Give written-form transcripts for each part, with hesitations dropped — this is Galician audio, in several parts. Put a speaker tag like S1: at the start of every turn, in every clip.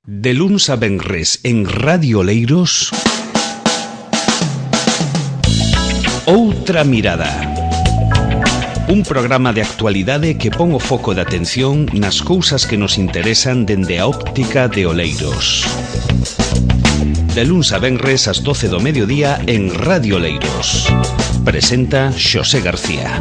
S1: De luns a venres en Radio Oleiros, Outra Mirada. Un programa de actualidade que pon o foco de atención nas cousas que nos interesan dende a óptica de Oleiros. De luns a venres ás 12 do mediodía en Radio Oleiros. Presenta Xosé García.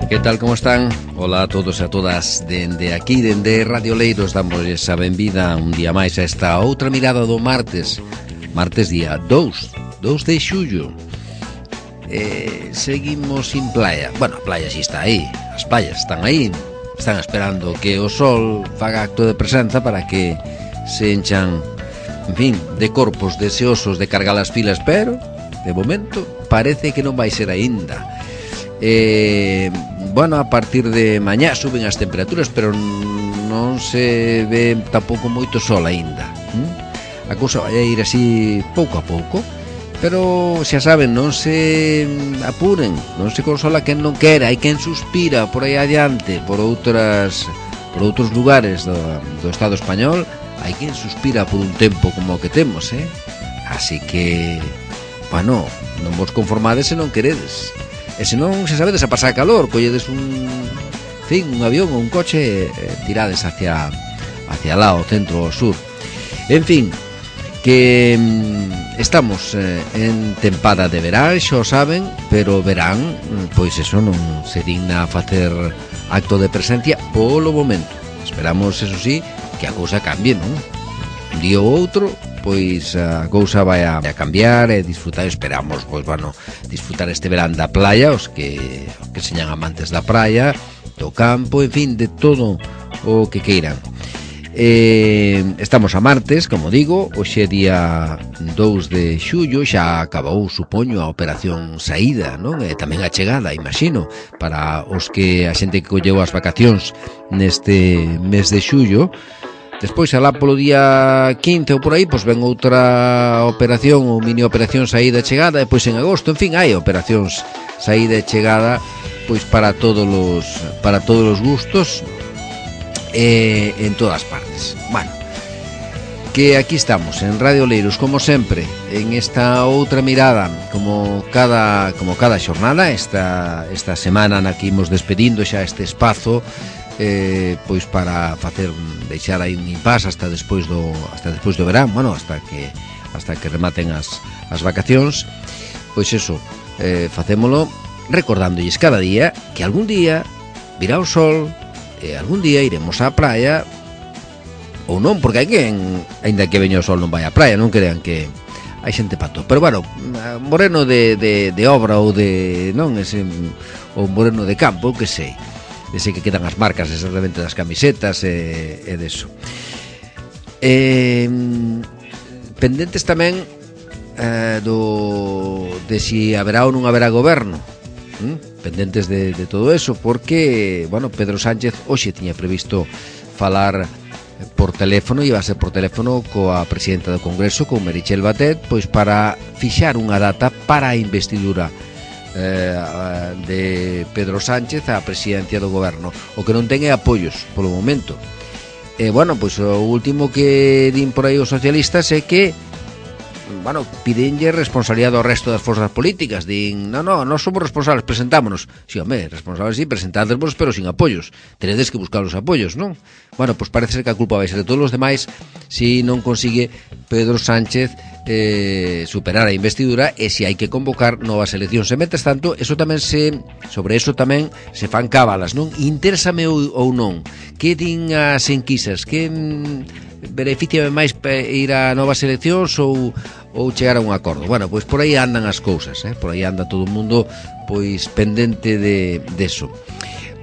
S2: Que tal, como están? Hola a todos e a todas. Dende aquí, dende Radio Oleiros, damos a benvida un día máis a esta outra mirada do martes. Martes día 2 de xullo. Seguimos sin playa. Bueno, a playa si está aí. As playas están aí. Están esperando que o sol faga acto de presenza para que se enchan, en fin, de corpos deseosos de cargar as filas, pero, de momento, parece que non vai ser aínda. Bueno, a partir de mañá suben as temperaturas, pero non se ve tampouco moito sol aínda. A cousa vai a ir así pouco a pouco, pero xa saben, non se apuren, non se consola quen non quera, hai quen suspira por aí adiante, por outros lugares do Estado español, hai quen suspira por un tempo como o que temos, Así que, bueno, non vos conformades se non queredes. E se non, xa sabedes, a pasar calor, colledes un avión ou un coche, tirades hacia lá, ao centro ou ao sur. En fin, que estamos en tempada de verán, xa o saben, pero verán, pois eso, non se digna a facer acto de presencia polo momento. Esperamos, eso sí, que a cousa cambie, non? Un día ou outro, pois a cousa vai a cambiar e disfrutar, esperamos, pois, bueno, disfrutar este verán da playa, os que señan amantes da praia, do campo, en fin, de todo o que queiran. Estamos a martes, como digo, hoxe día 2 de xullo, xa acabou, supoño, a operación saída, non? E tamén a chegada, imagino, para os que a xente que colleu as vacacións neste mes de xullo. Despois, alá polo día 15 ou por aí, pois ven outra operación ou mini operación saída e chegada, e pois en agosto, en fin, hai operacións saída e chegada, pois para todos os gustos e en todas partes. Bueno, que aquí estamos en Radio Oleiros, como sempre, en esta outra mirada, como cada xornada, esta semana na que imos despedindo xa este espazo, pois para deixar aí un impasse hasta despois do verán, bueno, hasta que rematen as vacacións. Pois eso, facémolo recordándolles cada día que algún día virá o sol e algún día iremos á praia, ou non, porque hai quen, aínda que veña o sol, non vai á praia, non crean que hai xente pato. Pero bueno, moreno de obra ou de, non, ese, ou moreno de campo, que sei, dese que quedan as marcas exactamente das camisetas e deso. Pendentes tamén de si haberá ou non haberá goberno, pendentes de todo eso, porque, bueno, Pedro Sánchez hoxe tiña previsto falar por teléfono, iba a ser por teléfono coa presidenta do Congreso, con Meritxell Batet, pois para fixar unha data para a investidura de Pedro Sánchez á presidencia do goberno. O que non ten é apoios polo momento. Bueno, pois o último que din por aí os socialistas é que, bueno, pidenlle responsabilidade ao resto das forzas políticas. Din, non somos responsables, presentámonos. Si, home, responsables si, presentádesvos, pero sin apoios. Tenedes que buscar os apoios, non? Bueno, pois parece ser que a culpa vai ser de todos os demais si non consigue Pedro Sánchez superar a investidura e se hai que convocar novas eleccións. E mentres tanto, sobre eso tamén se fan cábalas, non? Interésame ou non? Que din as enquisas? Que beneficiame máis ir a novas eleccións ou chegar a un acordo? Bueno, pois por aí andan as cousas, por aí anda todo o mundo pois pendente de eso.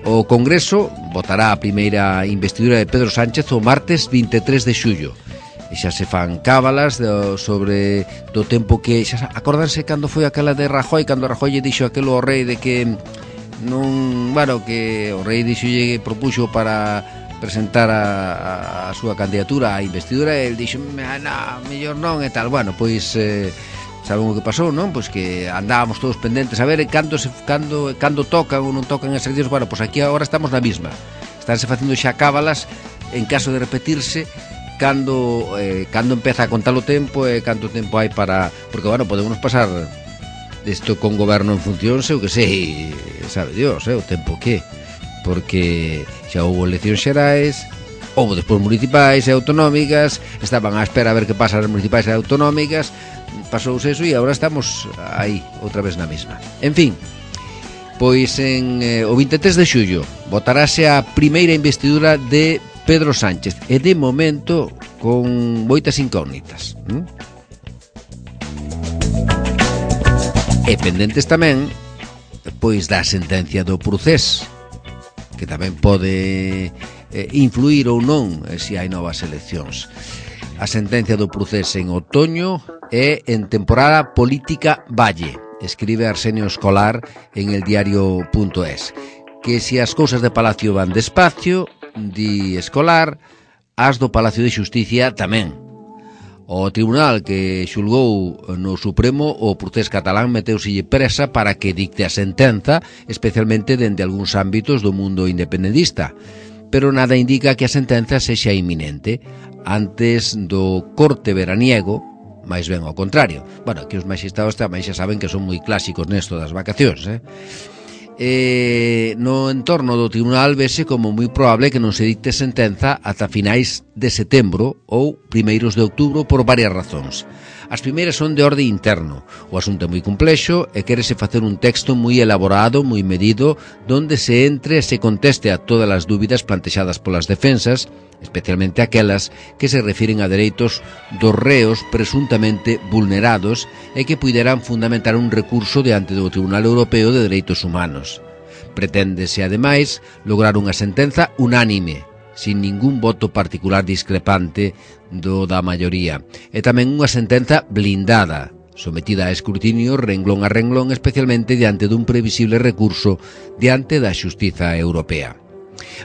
S2: O Congreso votará a primeira investidura de Pedro Sánchez o martes 23 de xullo. E xa se fan cábalas sobre do tempo que xa acordanse cando foi aquela de Rajoy, cando Rajoy lle dixo aquelo ao rei de que non, bueno, que o rei dixolle, propuxo para presentar a súa candidatura á investidura, el dixo, mellor non e tal. Bueno, pois saben o que pasou, non? Pois que andábamos todos pendentes a ver cando tocan ou non tocan as eleccións. Bueno, pois aquí agora estamos na mesma. Estánse facendo xa cábalas en caso de repetirse cando empeza a contar o tempo e canto tempo hai para... Porque, bueno, podemos pasar isto con goberno en funcións, eu que sei, sabe Dios, o tempo que... Porque xa houve eleccións xerais, houve despois municipais e autonómicas, estaban á espera a ver que pasa as municipais e autonómicas, pasouse eso e agora estamos aí, outra vez na mesma. En fin, pois o 23 de xullo votarase a primeira investidura de Pedro Sánchez e de momento con moitas incógnitas. E pendentes tamén pois da sentencia do Procés, que tamén pode influir ou non se hai novas eleccións. A sentencia do Procés en outoño e en temporada política valle, escribe Arsenio Escolar en el diario.es, que se as cousas de Palacio van despacio, di Escolar, as do Palacio de Xusticia tamén. O tribunal que xulgou no Supremo o Procés catalán meteuselle presa para que dicte a sentenza, especialmente dende algúns ámbitos do mundo independentista. Pero nada indica que a sentenza sexa inminente antes do corte veraniego, máis ben ao contrario. Bueno, aquí os magistrados tamén xa saben que son moi clásicos nesto das vacacións, no entorno do tribunal vese como moi probable que non se dicte sentenza ata finais de setembro ou primeiros de outubro por varias razóns. As primeiras son de orde interno. O asunto é moi complexo e quérese facer un texto moi elaborado, moi medido, donde se entre e se conteste a todas as dúbidas plantexadas polas defensas, especialmente aquelas que se refiren a dereitos dos reos presuntamente vulnerados e que puideran fundamentar un recurso diante do Tribunal Europeo de Dereitos Humanos. Preténdese, ademais, lograr unha sentenza unánime, sin ningún voto particular discrepante do da maioría, e tamén unha sentenza blindada, sometida a escrutinio renglón a renglón, especialmente diante dun previsible recurso diante da Xustiza Europea.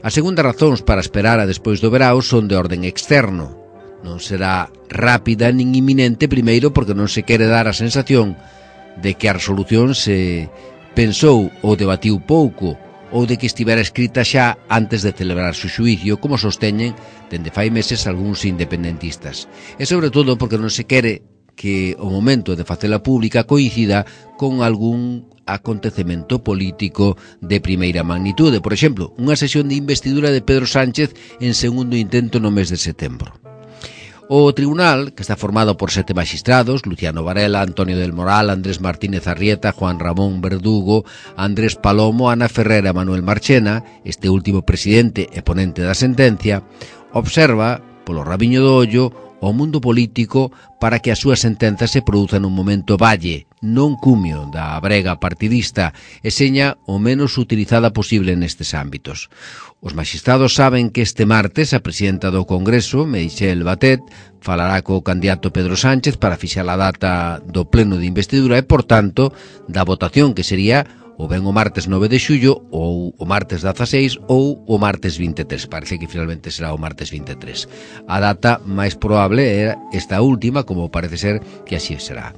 S2: As segundas razóns para esperar a despois do verao son de orden externo. Non será rápida nin inminente, primeiro porque non se quere dar a sensación de que a resolución se pensou ou debatiu pouco, ou de que estivera escrita xa antes de celebrar o xuízo, como sosteñen dende fai meses algúns independentistas. E sobre todo porque non se quere que o momento de facela pública coincida con algún acontecemento político de primeira magnitude. Por exemplo, unha sesión de investidura de Pedro Sánchez en segundo intento no mes de setembro. O tribunal, que está formado por 7 magistrados, Luciano Varela, Antonio del Moral, Andrés Martínez Arrieta, Juan Ramón Verdugo, Andrés Palomo, Ana Ferrera e Manuel Marchena, este último presidente e ponente da sentencia, observa, polo rabiño do ollo, o mundo político para que a súa sentenza se produza nun momento valle, non cumio da brega partidista, e seña o menos utilizada posible nestes ámbitos. Os magistrados saben que este martes a presidenta do Congreso, Meritxell Batet, falará co candidato Pedro Sánchez para fixar a data do pleno de investidura e, por tanto, da votación que sería ou ben o martes 9 de xullo, ou o martes 16, ou o martes 23. Parece que finalmente será o martes 23. A data máis probable era esta última, como parece ser que así será.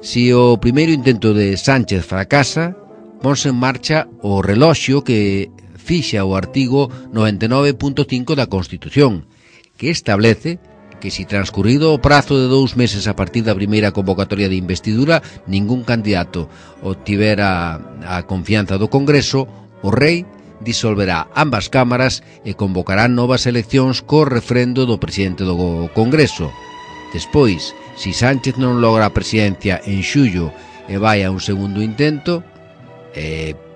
S2: Si o primeiro intento de Sánchez fracasa, ponse en marcha o reloxo que fixa o artigo 99.5 da Constitución, que establece que si transcurrido o prazo de 2 meses a partir da primeira convocatoria de investidura ningún candidato obtivera a confianza do Congreso, o rei disolverá ambas cámaras e convocará novas eleccións co refrendo do presidente do Congreso. Despois, si Sánchez non logra a presidencia en xullo e vai a un segundo intento,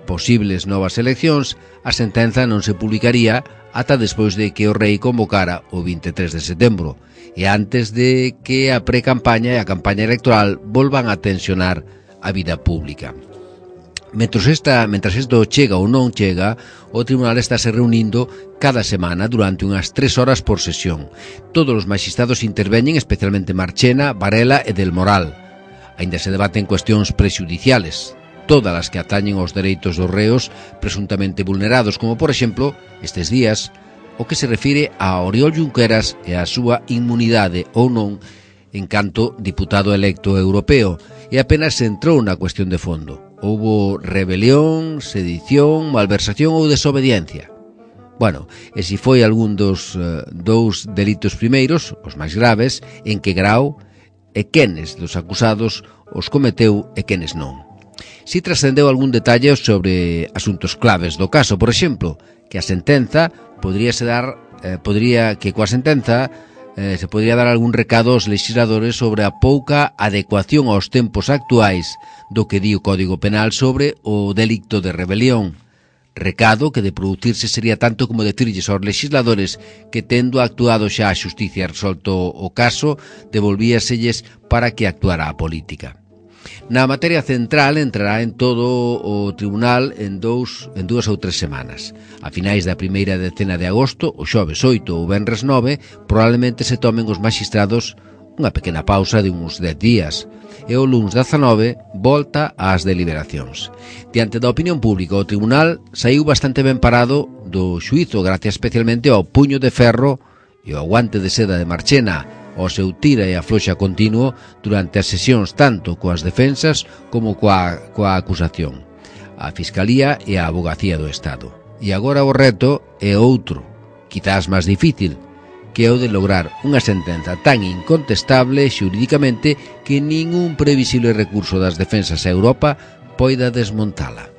S2: posibles novas eleccións, a sentenza non se publicaría ata despois de que o rei convocara o 23 de setembro e antes de que a pre-campaña e a campaña electoral volvan a tensionar a vida pública. Mentras isto chega ou non chega, o tribunal está se reunindo cada semana durante unhas 3 horas por sesión. Todos os magistrados interveñen, especialmente Marchena, Varela e del Moral. Aínda se debaten cuestións prexudiciales, todas as que atañen aos dereitos dos reos presuntamente vulnerados, como, por exemplo, estes días, o que se refire a Oriol Junqueras e a súa inmunidade ou non en canto diputado electo europeo, e apenas se entrou na cuestión de fondo. Houbo rebelión, sedición, malversación ou desobediencia. Bueno, e se foi algún dos dous delitos primeiros, os máis graves, en que grau e quenes dos acusados os cometeu e quenes non. Si trascendeu algún detalle sobre asuntos claves do caso, por exemplo, que a sentenza podría dar algún recado aos legisladores sobre a pouca adecuación aos tempos actuais do que di o Código Penal sobre o delicto de rebelión. Recado que de producirse sería tanto como decirlles aos legisladores que, tendo actuado xa a xusticia e resolto o caso, devolvíaselles para que actuara a política. Na materia central entrará en todo o tribunal en dúas ou 3 semanas. A finais da primeira decena de agosto, o xoves 8 ou venres 9, probablemente se tomen os magistrados unha pequena pausa de uns 10 días. E o luns 19 volta ás deliberacións. Diante da opinión pública, o tribunal saiu bastante ben parado do xuízo, gracias especialmente ao puño de ferro e ao guante de seda de Marchena, ao seu tira e afloxa continuo durante as sesións tanto coas defensas como coa acusación, a Fiscalía e a Avogacía do Estado. E agora o reto é outro, quizás máis difícil, que é o de lograr unha sentenza tan incontestable xurídicamente que ningún previsible recurso das defensas a Europa poida desmontala.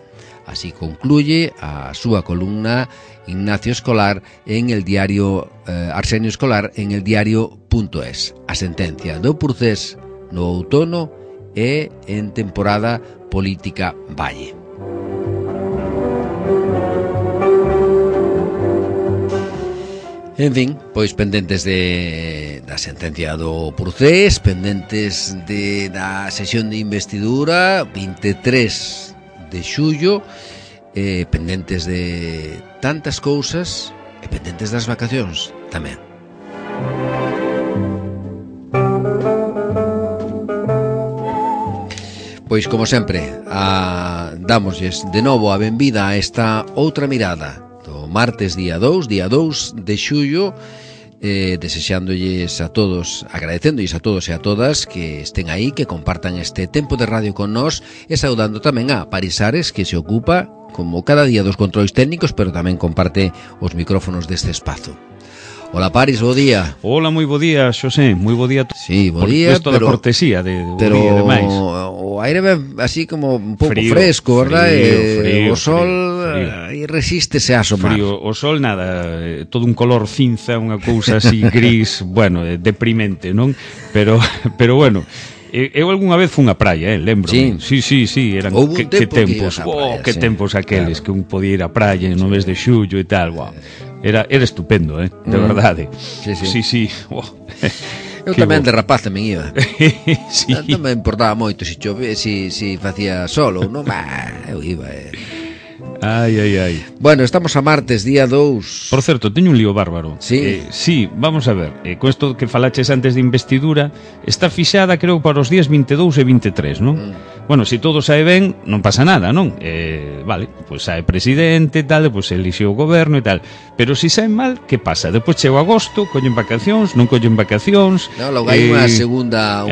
S2: Así concluye a súa columna Ignacio Escolar en el diario Arsenio Escolar en el diario.es. A sentencia do Procés no outono e en temporada política valle. En fin, pois pendentes da sentencia do Procés, pendentes da sesión de investidura 23 de xullo, pendentes de tantas cousas e pendentes das vacacións tamén. Pois como sempre, damosles de novo a benvida a esta outra mirada do martes día 2 de xullo, desexándolles a todos, agradecéndolles a todos e a todas que estén aí, que compartan este tempo de radio con nós, e saudando tamén a Paris Ares, que se ocupa como cada día dos controis técnicos, pero tamén comparte os micrófonos deste espazo. Hola Paris, bo día.
S1: Hola, moi bo día, Xosé, moi bo día.
S2: Sí, bo día,
S1: pero da cortesía de bo día demais.
S2: O aire ven así como un pouco fresco, verdad? O sol aí resístese a asomar.
S1: Frío, o sol nada, todo un color cinza, unha cousa así gris, bueno, deprimente, non? Pero bueno, eu algunha vez fun á praia, lembro. Sí, eran que tempos, que tempos aqueles, que un podía ir á praia no mes de xullo e tal, guau. Era estupendo, de verdade. Sí.
S2: Eu tamén de rapaz tamén iba.
S1: Sí.
S2: Non me importaba moito se chove, se facía sol ou non, eu iba.
S1: Ai.
S2: Bueno, estamos a martes, día 2.
S1: Por certo, teño un lío bárbaro.
S2: Sí?
S1: Sí, vamos a ver, con isto que falaches antes de investidura, está fixada creo para os días 22 e 23, non? Bueno, se todo sae ben, non pasa nada, non? Vale, pois sae presidente e tal, pois elixe o goberno e tal. Pero se sae mal, que pasa? Depois chega agosto, collen vacacións, non collen vacacións.
S2: No, logo hai unha segunda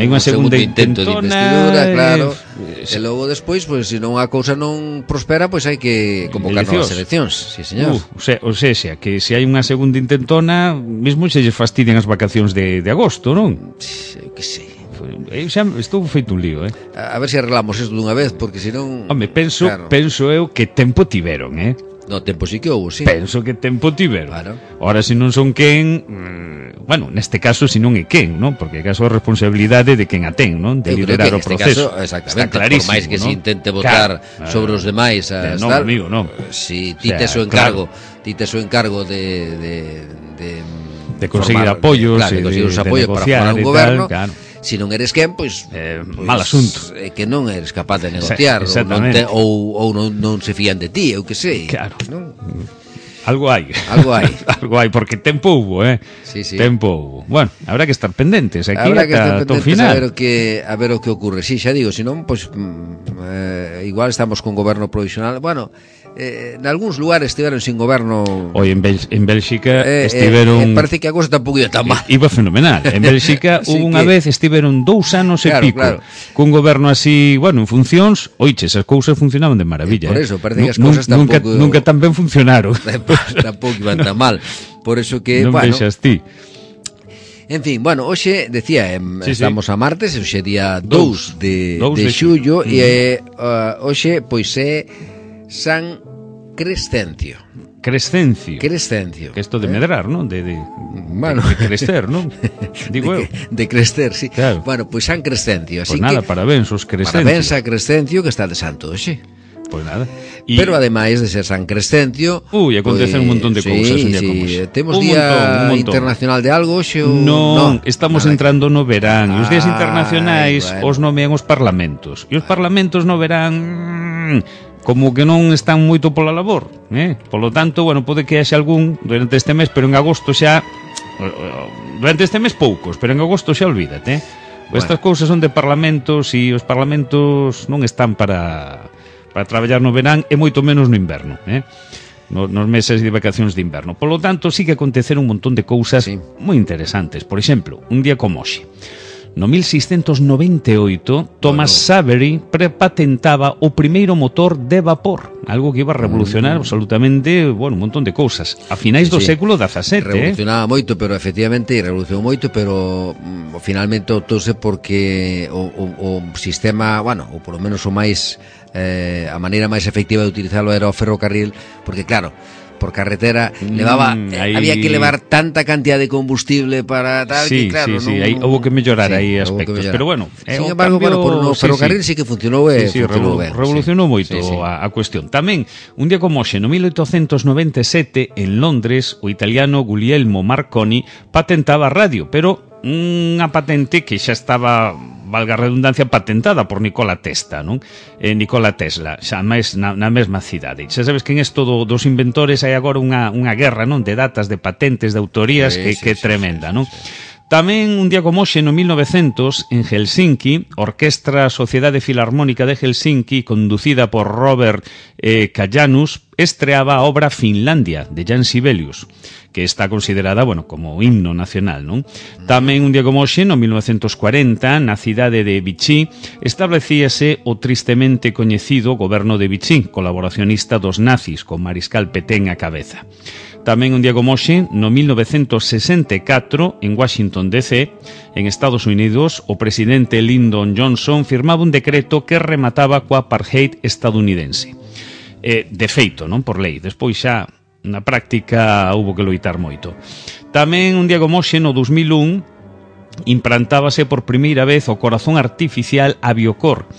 S2: intento de investidura, claro. E logo despois, pois se non a cousa non prospera, pois hai que convocar novas eleccións. Sí, señor.
S1: O sea, que se hai unha segunda intentona, mesmo se lles fastidian as vacacións de agosto, non?
S2: Eu que sei.
S1: Xa estou feito un lío,
S2: A ver se arreglamos isto dunha vez, porque senón...
S1: Home, penso eu que tempo tiveron,
S2: No, tempo sí que houve, sí.
S1: Penso que tempo tiveron.
S2: Claro.
S1: Ora, se non son quen, bueno, neste caso, se non é quen, non? Porque é caso a responsabilidade de quen a ten, non? De liderar o proceso.
S2: Caso, exactamente, por máis que se intente votar sobre os demais,
S1: non, amigo, non.
S2: Si ti tes o encargo, de
S1: conseguir apoios,
S2: de conseguir os apoios para formar un goberno. Claro. Si non eres quen, pois
S1: mal asunto.
S2: É que non eres capaz de negociar, ou non se fían de ti, eu que sei.
S1: Claro.
S2: Non?
S1: Algo hai.
S2: Algo hai,
S1: porque tempo hubo,
S2: Sí.
S1: Tempo hubo. Bueno, habrá que estar pendentes aquí
S2: ata
S1: o final.
S2: A ver o que ocurre. Si, xa digo, senón, pois igual estamos con goberno provisional. Bueno, nalgúns lugares estiveron sin goberno.
S1: Oi, en Bélxica estiveron...
S2: parece que a cosa tampouco ia tan mal.
S1: Iba fenomenal. En Bélxica hubo unha vez, estiveron 2 anos e pico, cun goberno así, bueno, en funcións, oiches, as cousas funcionaban de maravilla.
S2: Por eso, parece que as cousas tampouco...
S1: Nunca tan ben funcionaron.
S2: Tampouco iban tan mal. Por eso que,
S1: non
S2: bueno...
S1: vexas ti.
S2: En fin, bueno, hoxe, decía, estamos a martes, hoxe día 2 de xullo, e hoxe, pois, é San Crescencio.
S1: Crescencio.
S2: Crescencio.
S1: Que isto de medrar, non?
S2: Bueno.
S1: De crecer, non? Digo eu.
S2: De crecer, sí.
S1: Claro.
S2: Bueno, pois San Crescencio.
S1: Pois nada, parabéns os Crescencio.
S2: Parabéns a Crescencio, que está de santo hoxe.
S1: Pois nada.
S2: Pero ademais de ser San Crescencio,
S1: acontecen un montón de cousas un día como hoxe.
S2: Temos día internacional de algo hoxe ou
S1: non, estamos entrando no verán. Os días internacionais os nomean os parlamentos. E os parlamentos no verán como que non están moito pola labor, Polo tanto, bueno, pode que haxe algún durante este mes, pero en agosto xa durante este mes poucos, pero en agosto xa olvídate. Estas cousas son de parlamentos e os parlamentos non están para traballar no verán e moito menos no inverno, nos meses de vacacións de inverno. Por lo tanto, sí que aconteceron un montón de cousas moi interesantes. Por exemplo, un día como hoxe, no 1698, Thomas Savery prepatentaba o primeiro motor de vapor, algo que iba a revolucionar absolutamente, bueno, un montón de cousas. A finais do século XVII,
S2: revolucionaba moito, pero efectivamente revolucionou moito, pero finalmente optouse porque o sistema, bueno, ou polo menos o máis a maneira máis efectiva de utilizarlo era o ferrocarril, porque claro, por carretera levaba había que levar tanta cantidad de combustible para tal que claro,
S1: aí houve que mellorar aí aspectos, pero bueno,
S2: sin embargo, bueno, por no ferrocarril sí que funcionou funcionou ben.
S1: Revolucionou moito a cuestión. Tamén, un día como hoxe, no 1897, en Londres, o italiano Guglielmo Marconi patentaba a radio, pero unha patente que xa estaba, valga a redundancia, patentada por Nikola Tesla, non? Nikola Tesla, xa máis na mesma cidade. Xa sabes que en isto dos inventores hai agora unha guerra, non? De datas, de patentes, de autorías que é tremenda, non? Tamén un día como hoxe, no 1900, en Helsinki, Orquestra Sociedade Filarmónica de Helsinki, conducida por Robert Kajanus, estreaba a obra Finlandia, de Jan Sibelius, que está considerada, bueno, como himno nacional, non? Tamén un día como hoxe, no 1940, na cidade de Vichy, establecíase o tristemente coñecido goberno de Vichy, colaboracionista dos nazis, con Mariscal Pétain á cabeza. Tamén un día como hoxe, no 1964, en Washington DC, en Estados Unidos, o presidente Lyndon Johnson firmaba un decreto que remataba coa apartheid estadounidense. De feito, non por lei, despois xa na práctica houbo que loitar moito. Tamén un día como hoxe, no 2001, implantábase por primeira vez o corazón artificial Aviocor.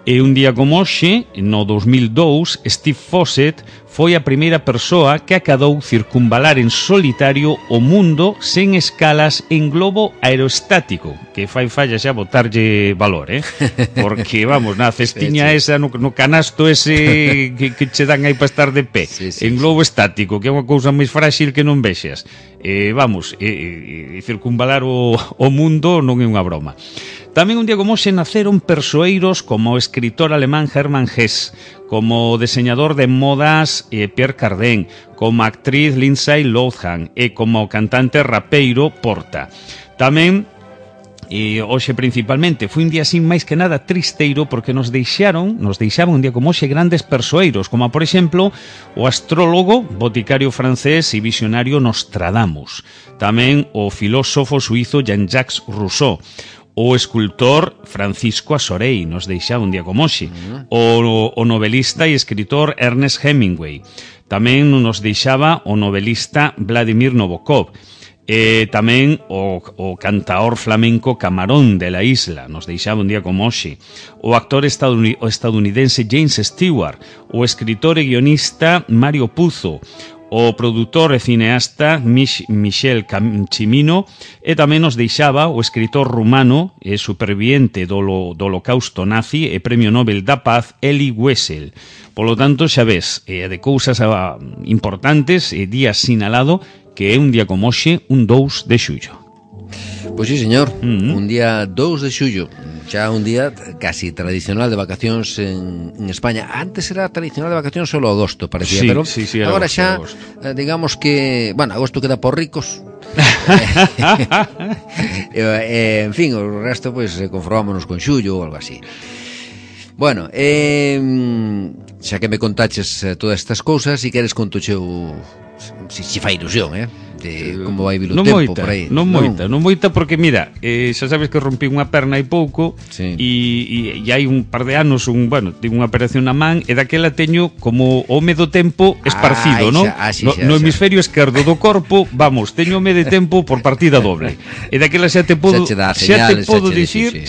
S1: E un día como hoxe, no 2002, Steve Fossett foi a primeira persoa que acadou circunvalar en solitario o mundo sen escalas en globo aerostático, que fai falla xa botarlle valor, porque, vamos, na cestiña esa, no canasto ese que che dan aí para estar de pé, en globo estático, que é unha cousa máis frágil que non vexas. Vamos, circunvalar o mundo non é unha broma. Tamén un día como hoxe naceron persoeiros como o escritor alemán Hermann Hesse, como o diseñador de modas Pierre Cardin, como a actriz Lindsay Lohan e como o cantante rapeiro Porta. Tamén, hoxe principalmente, foi un día así máis que nada tristeiro porque nos deixaban un día como hoxe grandes persoeiros, como por exemplo o astrólogo, boticario francés e visionario Nostradamus. Tamén o filósofo suizo Jean-Jacques Rousseau. O escultor Francisco Asorey nos deixaba un día como hoxe. O novelista e escritor Ernest Hemingway. Tamén nos deixaba o novelista Vladimir Nabokov. Tamén o cantaor flamenco Camarón de la Isla nos deixaba un día como hoxe. O actor estadounidense James Stewart. O escritor e guionista Mario Puzo. O produtor e cineasta Michel Cimino, e tamén nos deixaba o escritor rumano e superviviente do holocausto nazi e premio Nobel da Paz Elie Wiesel. Polo tanto, xa ves, de cousas importantes, día sinalado, que é un día como hoxe, un 2 de xullo.
S2: Pois sí, señor, un día 2 de xullo, xa un día casi tradicional de vacacións en España. Antes era tradicional de vacacións solo agosto, parecía,
S1: sí,
S2: pero
S1: sí,
S2: agora
S1: agosto,
S2: xa,
S1: agosto.
S2: Digamos que, bueno, agosto queda por ricos. En fin, o resto, pues, conformámonos con xullo ou algo así. Bueno, xa que me contaches todas estas cousas, si queres conto xeo si fai ilusión, de como vai vir o tempo
S1: moita,
S2: por aí.
S1: Non moita porque mira, xa sabes que rompí unha perna hai pouco,
S2: sí.
S1: e hai un par de anos tive unha operación na man e daquela teño como home do tempo esparcido, non? No hemisferio esquerdo do corpo, vamos, teño home de tempo por partida doble. E daquela xa te podo dicir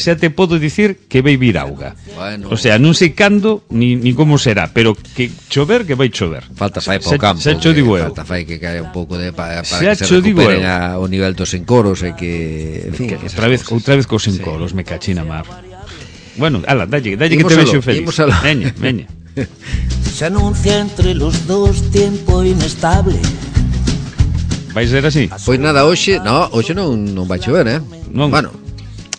S1: que vai vir auga.
S2: Bueno.
S1: O sea, non sei cando ni como será, pero que chover que vai chover.
S2: Falta fai para o campo.
S1: Xa cho digo eu.
S2: Falta fai que caia un pouco de para que se recuperen o nivel dos encoros e que, en fin, que
S1: outra vez cos encoros, me cachina mar. Bueno, ala, dalle que te vexo feliz. Veña.
S3: Se anuncia entre los dos tiempo inestable.
S1: Vai ser así?
S2: Pois nada, hoxe non vai chover,
S1: Non.
S2: Bueno,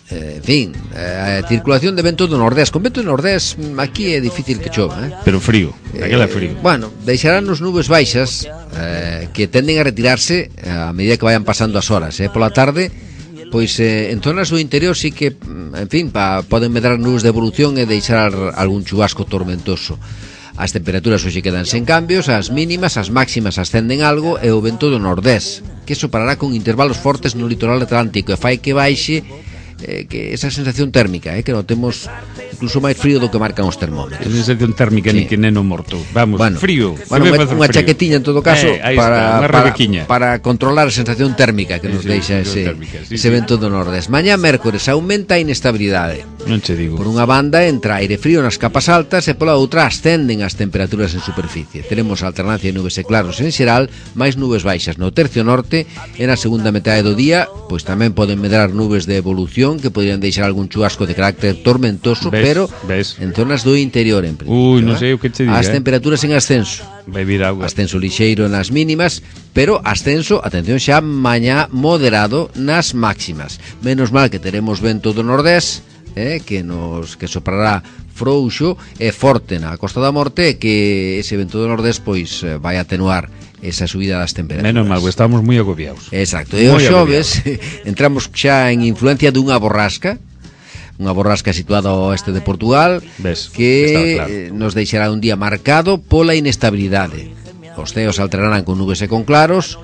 S2: en fin, a circulación de vento do nordés. Con vento do nordés aquí é difícil que chova,
S1: Pero frío, aquela frío.
S2: Bueno, deixarán nos nubes baixas que tenden a retirarse a medida que vayan pasando as horas, pola tarde. Pois en zonas do interior sí que, en fin, poden medrar nubes de evolución e deixar algún chubasco tormentoso. As temperaturas hoxe quedan sen cambios, as mínimas, as máximas ascenden algo e o vento do nordés, que soparará con intervalos fortes no litoral atlántico e fai que baixe que esa sensación térmica, que notemos incluso máis frío do que marcan os termómetros.
S1: Esa sensación térmica, sí. Ni que neno morto. Vamos, bueno, frío.
S2: Bueno, unha chaquetiña en todo caso para controlar a sensación térmica que nos deixa ese vento do nordés. Mañá mércores aumenta a inestabilidade.
S1: Non che digo.
S2: Por unha banda entra aire frío nas capas altas e pola outra ascenden as temperaturas en superficie. Teremos alternancia de nubes e claros en xeral, máis nubes baixas no tercio norte e na segunda metade do día, pois tamén poden medrar nubes de evolución que podrían deixar algún chubasco de carácter tormentoso, pero en zonas do interior en principio.
S1: Non sei o que che diga.
S2: As temperaturas en ascenso.
S1: Vai vir auga.
S2: Ascenso lixeiro nas mínimas, pero ascenso, atención xa, mañá moderado nas máximas. Menos mal que teremos vento do nordés, que soprará frouxo e forte na Costa da Morte, que ese vento do nordés pois vai atenuar esa subida das temperaturas.
S1: Menos mal, estamos moi agobiados.
S2: Exacto, e os xoves entramos xa en influencia dunha borrasca situada ao oeste de Portugal.
S1: Ves,
S2: que
S1: claro.
S2: Nos deixará un día marcado pola inestabilidade. Os ceos alternarán con nubes e con claros,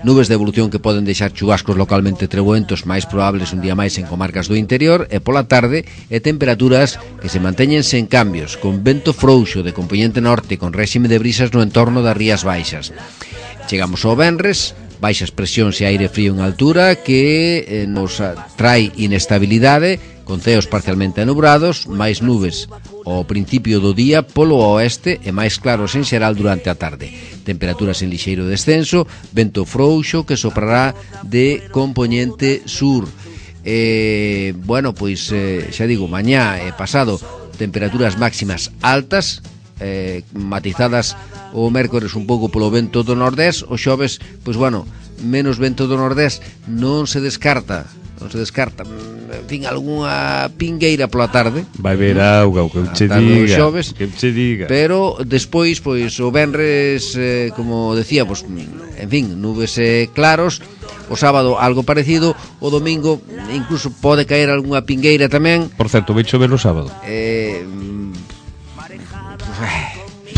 S2: nubes de evolución que poden deixar chubascos localmente treboentos máis probables un día máis en comarcas do interior, e pola tarde temperaturas que se manteñen sen cambios, con vento frouxo de compoñente norte con réxime de brisas no entorno das rías baixas. Chegamos ao venres, baixas presións e aire frío en altura que nos trae inestabilidade, con ceos parcialmente anubrados, máis nubes ao principio do día polo oeste e máis claros en xeral durante a tarde. Temperaturas en lixeiro descenso, vento frouxo que soprará de compoñente sur. Bueno, pois xa digo, mañá e pasado temperaturas máximas altas, matizadas o mércores un pouco polo vento do nordés. O xoves, pois bueno, menos vento do nordés, non se descarta, en fin, algunha pingueira pola tarde.
S1: Vai ver auga, o que che diga.
S2: Pero despois, pois o venres, como decía, pois, en fin, nubes claros. O sábado algo parecido, o domingo incluso pode caer algunha pingueira tamén.
S1: Por certo, vai chover o sábado.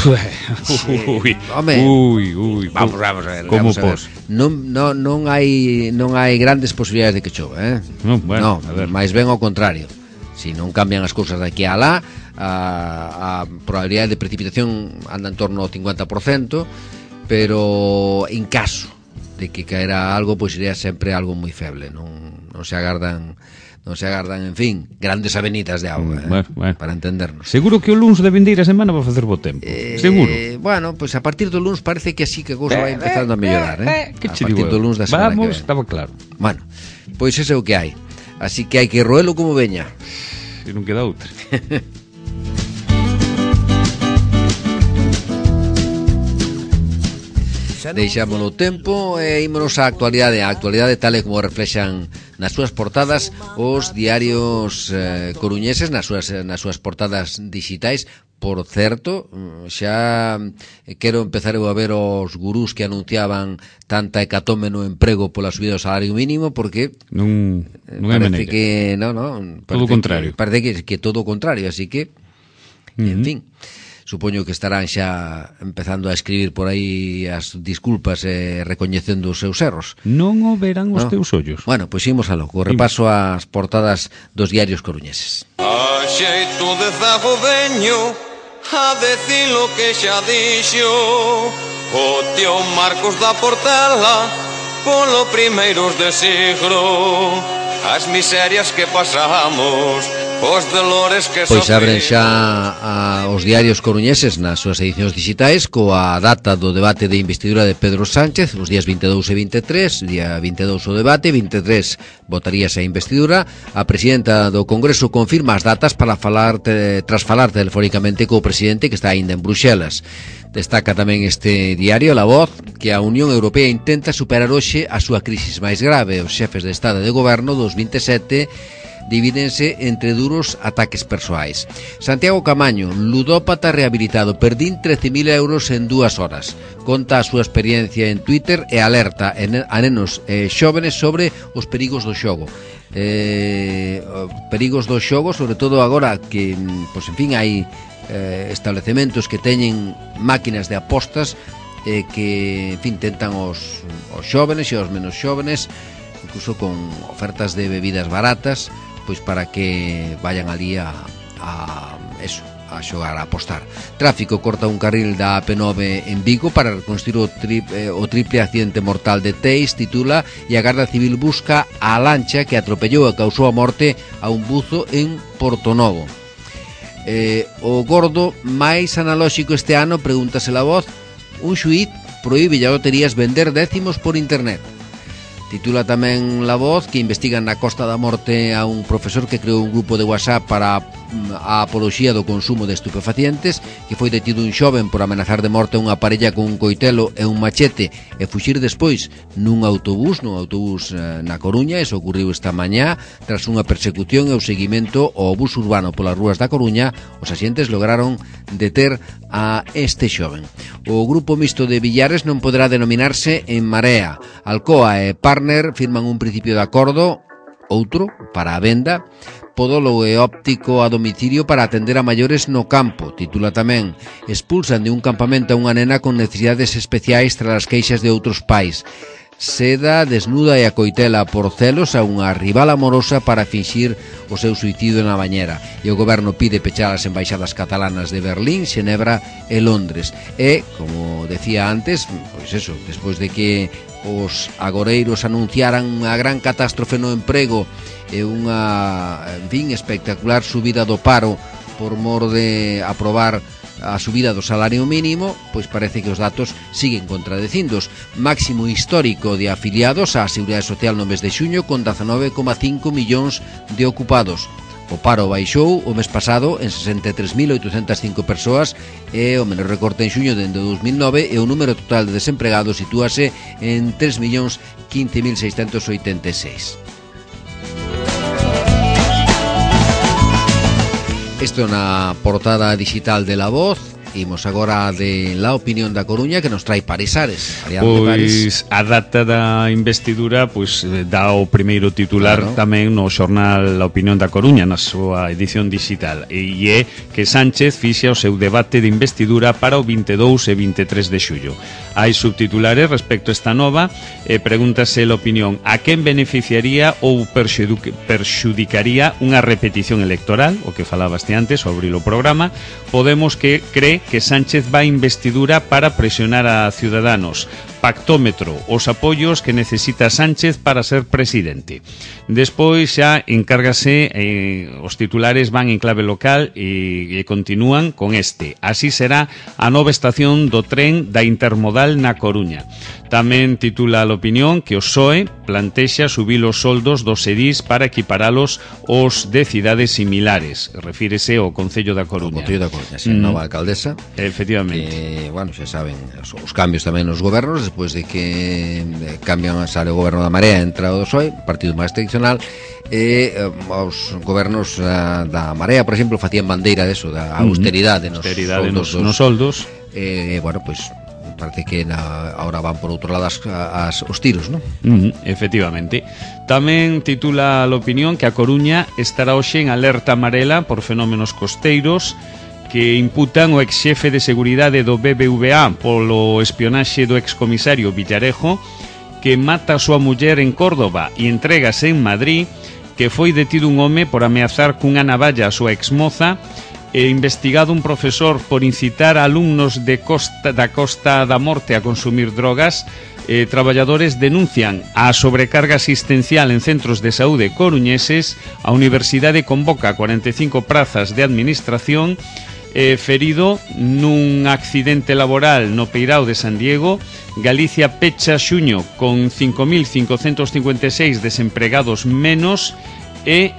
S1: Uy,
S2: vamos a ver.
S1: Como pos?
S2: Non hai grandes posibilidades de que chova,
S1: Bueno,
S2: máis ben ao contrario. Si non cambian as cousas de aquí a lá, a probabilidade de precipitación anda en torno ao 50%, pero en caso de que caera algo, pois iría sempre algo moi feble. Non se agardan, en fin, grandes avenidas de auga,
S1: bueno.
S2: Para entendernos.
S1: Seguro que o luns de vindeira semana va a facer bo tempo. Seguro.
S2: Bueno, pois a partir do luns parece que así que a cousa vai empezando a mellorar,
S1: Que
S2: a partir do luns da semana que ven.
S1: Estaba claro.
S2: Bueno, pois ese é o que hai. Así que hai que roelo como veña.
S1: E non queda outra.
S2: deixámolo tempo e ímonos á actualidade. A actualidade tal e como reflexan nas súas portadas os diarios coruñeses, nas súas portadas digitais. Por certo, xa quero empezar a ver os gurús que anunciaban tanta hecatombe no emprego pola subida do salario mínimo, porque
S1: non é
S2: parece
S1: maneira.
S2: que non,
S1: Todo o contrario.
S2: Parece que todo o contrario, así que en fin, supoño que estarán xa empezando a escribir por aí as disculpas e recoñecendo os seus erros.
S1: Non o verán os teus ollos.
S2: Bueno, pois imos a logo, repaso as portadas dos diarios coruñeses.
S4: A xeito de zago veño a decir lo que xa dixo o tío Marcos da Portela polo primeiros de siglo, as miserias que pasamos, os dolores que
S2: Pois abren
S4: sofrimos.
S2: xa os diarios coruñeses nas súas edicións digitais coa data do debate de investidura de Pedro Sánchez, os días 22 e 23, día 22 o debate, 23 votaríase a investidura. A presidenta do Congreso confirma as datas para tras falar telefónicamente co presidente que está aínda en Bruxelas. Destaca tamén este diario, La Voz, que a Unión Europea intenta superar hoxe a súa crisis máis grave. Os xefes de Estado e de Goberno dos 27 divídense entre duros ataques persoais. Santiago Camaño, ludópata rehabilitado, perdín 13.000 euros en 2 horas. Conta a súa experiencia en Twitter e alerta a nenos xóvenes sobre os perigos do xogo. Perigos do xogo, sobre todo agora que, pois, en fin, hai establecementos que teñen máquinas de apostas que, en fin, tentan os xóvenes e os menos xóvenes, incluso con ofertas de bebidas baratas, pois para que vayan ali a xogar, a apostar. Tráfico corta un carril da AP9 en Vigo para reconstruir o triple accidente mortal de Teis, titula, e a Garda Civil busca a lancha que atropellou e causou a morte a un buzo en Portonovo. O gordo máis analóxico este ano, pregúntase La Voz, un xuíz proíbe a loterías vender décimos por internet. Titula tamén La Voz que investigan na Costa da Morte a un profesor que creou un grupo de WhatsApp para a apoloxía do consumo de estupefacientes, que foi detido un xoven por amenazar de morte a unha parella con un coitelo e un machete e fuxir despois nun autobús na Coruña. Eso ocurriu esta mañá tras unha persecución e o seguimento ao bus urbano polas rúas da Coruña. Os axentes lograron deter a este xoven. O grupo mixto de Villares non poderá denominarse En Marea. Alcoa e Partner firman un principio de acordo, outro, para a venda, podólogo e óptico a domicilio para atender a maiores no campo. Titula tamén, expulsan de un campamento a unha nena con necesidades especiais tras as queixas de outros pais. Seda desnuda e acoitela por celos a unha rival amorosa para finxir o seu suicidio na bañera. E o goberno pide pechar as embaixadas catalanas de Berlín, Xenebra e Londres. E, como decía antes, pois eso, despois de que os agoreiros anunciaran unha gran catástrofe no emprego e unha, en fin, espectacular subida do paro por mor de aprobar a subida do salario mínimo, pois parece que os datos siguen contradicindos. Máximo histórico de afiliados á Seguridade Social no mes de xuño, con 19,5 millóns de ocupados. O paro baixou o mes pasado en 63.805 persoas e o menor recorte en xuño dende 2009 e o número total de desempregados sitúase en 3.015.686. Isto na portada digital de La Voz. Imos agora de La Opinión da Coruña, que nos trae París Ares.
S1: Pois a data da investidura pois dá o primeiro titular, claro, tamén no xornal La Opinión da Coruña, na súa edición digital, e é que Sánchez fixa o seu debate de investidura para o 22 e 23 de xullo. Hai subtitulares respecto a esta nova e pregúntase La Opinión a quen beneficiaría ou perxudicaría unha repetición electoral, o que falabaste antes ao abrir o programa. Podemos que cree que Sánchez vai investidura para presionar a Ciudadanos. Pactómetro, os apoios que necesita Sánchez para ser presidente. Despois xa encárgase, os titulares van en clave local e continúan con este. Así será a nova estación do tren da Intermodal na Coruña. Tamén titula a opinión que o PSOE plantexa subir os soldos dos edís para equiparalos aos de cidades similares. Refírese ao Concello da Coruña.
S2: O Concello da Coruña, sí, nova alcaldesa.
S1: Efectivamente.
S2: Que, bueno, xa saben, os cambios tamén nos gobernos, despois de que cambian, sale o goberno da Marea, entra o do PSOE, partido máis tradicional, e os gobernos da Marea, por exemplo, facían bandeira deso, da austeridade nos
S1: soldos.
S2: Bueno, pois parece que ahora van por outro lado os tiros, non?
S1: Efectivamente. Tamén titula a opinión que a Coruña estará hoxe en alerta amarela por fenómenos costeiros que imputan o exxefe de seguridade do BBVA polo espionaxe do excomisario Villarejo, que mata a súa muller en Córdoba e entregase en Madrid, que foi detido un home por ameazar cunha navalla a súa exmoza, e investigado un profesor por incitar a alumnos da Costa da Morte a consumir drogas. Traballadores denuncian a sobrecarga asistencial en centros de saúde coruñeses. A Universidade convoca 45 prazas de administración. Ferido nun accidente laboral no Peirao de San Diego. Galicia pecha xuño con 5.556 desempregados menos. E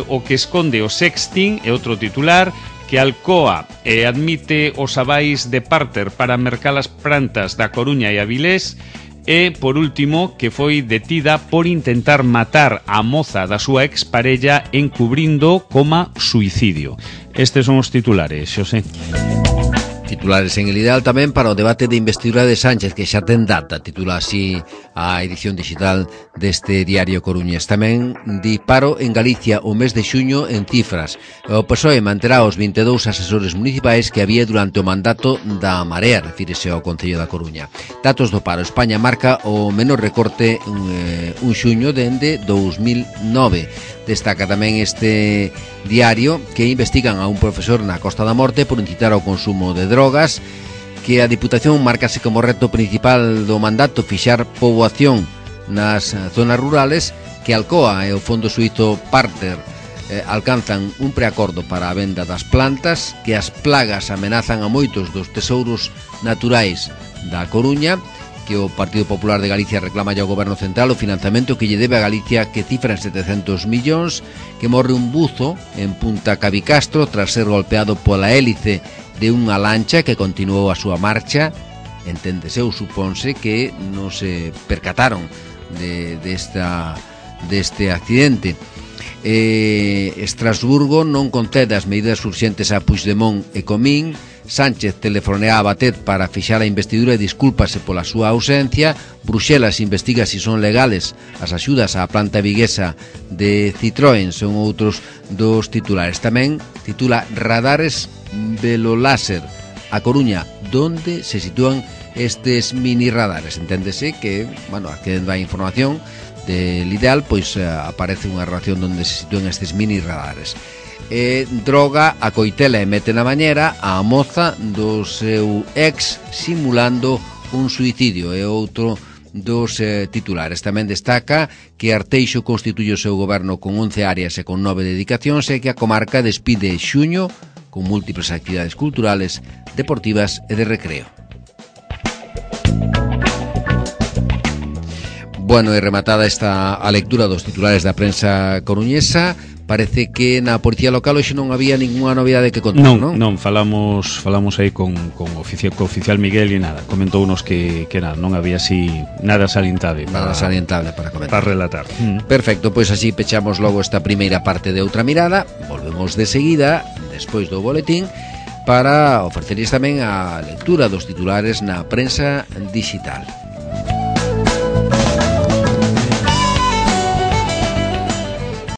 S1: o que esconde o sexting é outro titular, que Alcoa admite os avais de Parter para mercar as plantas da Coruña e Avilés. E, por último, que foi detida por intentar matar a moza da súa exparella encubrindo coma suicidio. Estes son os titulares, Xosé.
S2: Titulares en el ideal tamén para o debate de investidura de Sánchez, que xa ten data, titula así a edición digital deste diario coruñés. Tamén di paro en Galicia o mes de xuño en cifras. O PSOE manterá os 22 asesores municipais que había durante o mandato da Marea, refírese ao Concello da Coruña. Datos do paro. España marca o menor recorte un xuño dende 2009. Destaca tamén este diario que investigan a un profesor na Costa da Morte por incitar ao consumo de drogas, que a Diputación marcase como reto principal do mandato fixar poboación nas zonas rurales, que Alcoa e o Fondo Suízo Parter alcanzan un preacordo para a venda das plantas, que as plagas amenazan a moitos dos tesouros naturais da Coruña, que o Partido Popular de Galicia reclama ao Goberno Central o financiamento que lle debe a Galicia, que cifra en 700 millóns, que morre un buzo en Punta Cabicastro tras ser golpeado pola hélice de unha lancha que continuou a súa marcha. Enténdese ou supónse que non se percataron deste accidente. Estrasburgo non concede as medidas urxentes a Puigdemont e Comín. Sánchez telefonea a Batet para fixar a investidura e discúlpase pola súa ausencia. Bruxelas investiga se son legales as axudas á planta viguesa de Citroën. Son outros dos titulares. Tamén titula Radares veloláser a Coruña, donde se sitúan estes mini radares. Enténdese que, bueno, accedendo á información del ideal, pois aparece unha relación onde se sitúan estes mini radares. Droga a coitela e mete na bañera a moza do seu ex simulando un suicidio. É outro dos titulares. Tamén destaca que Arteixo constituye o seu goberno con 11 áreas e con 9 dedicacións, e que a comarca despide xuño con múltiples actividades culturales, deportivas e de recreo. Bueno, e rematada esta a lectura dos titulares da prensa coruñesa, parece que na policía local hoxe non había ninguna novidade que contar, non?
S1: Non, falamos aí con oficial Miguel e nada, comentounos que nada, non había así nada salientable
S2: para comentar,
S1: para relatar.
S2: Perfecto, pois así pechamos logo esta primeira parte de Outra Mirada. Volvemos de seguida, despois do boletín, para ofrecerles tamén a lectura dos titulares na prensa digital.